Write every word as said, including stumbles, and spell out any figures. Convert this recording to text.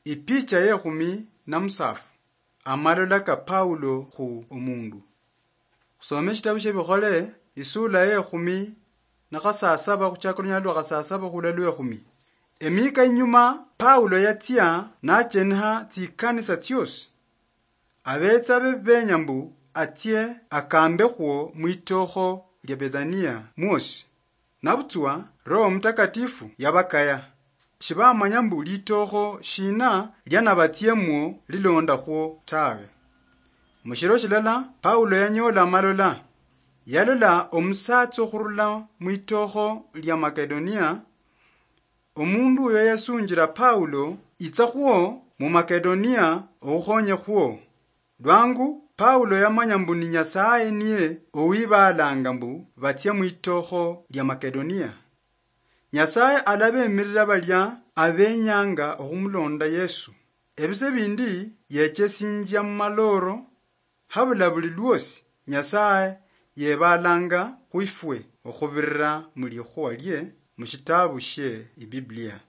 Ipicha yekhumi na musafu. Amalola ka Paulo khu omundu. Khusome eshitabu shia Bikhole, isula yekhumi na khasasaba, khuchaka olunyala lwa khasasaba khula lwekhumi. Emika inyuma, Paulo yatsia nacheniha tsikanisa tsiosi. Abetsa be benya mbu atsie akambekhwo mwitokho lia Bethania mwosi. Nabutswa Roho Mutakatifu yabakaya. Shibamanya mbu litokho shina lianabatsiemwo lilondakhwo tawe. Mushiro shilala, Paulo yanyola amalola. Yalola omusatsa okhurula mwitokho lia Makedonia. Omundu uyo yasunjira Paulo, "Itsa khwo mu Makedonia, okhukhonye khwo." Lwangu Paulo yamanya mbu ni Nyasaye niye owibalanga mbu batsia mwitokho lia Makedonia. Nyasaye alabemirira balia abenyanga okhumulonda Yesu. Ebise bindi yechesinjia mu maloro, habula buli lwosi Nyasaye yebalanga khwifwe okhubirira mu likhuwa lie mu shitabu shie Ibiblia.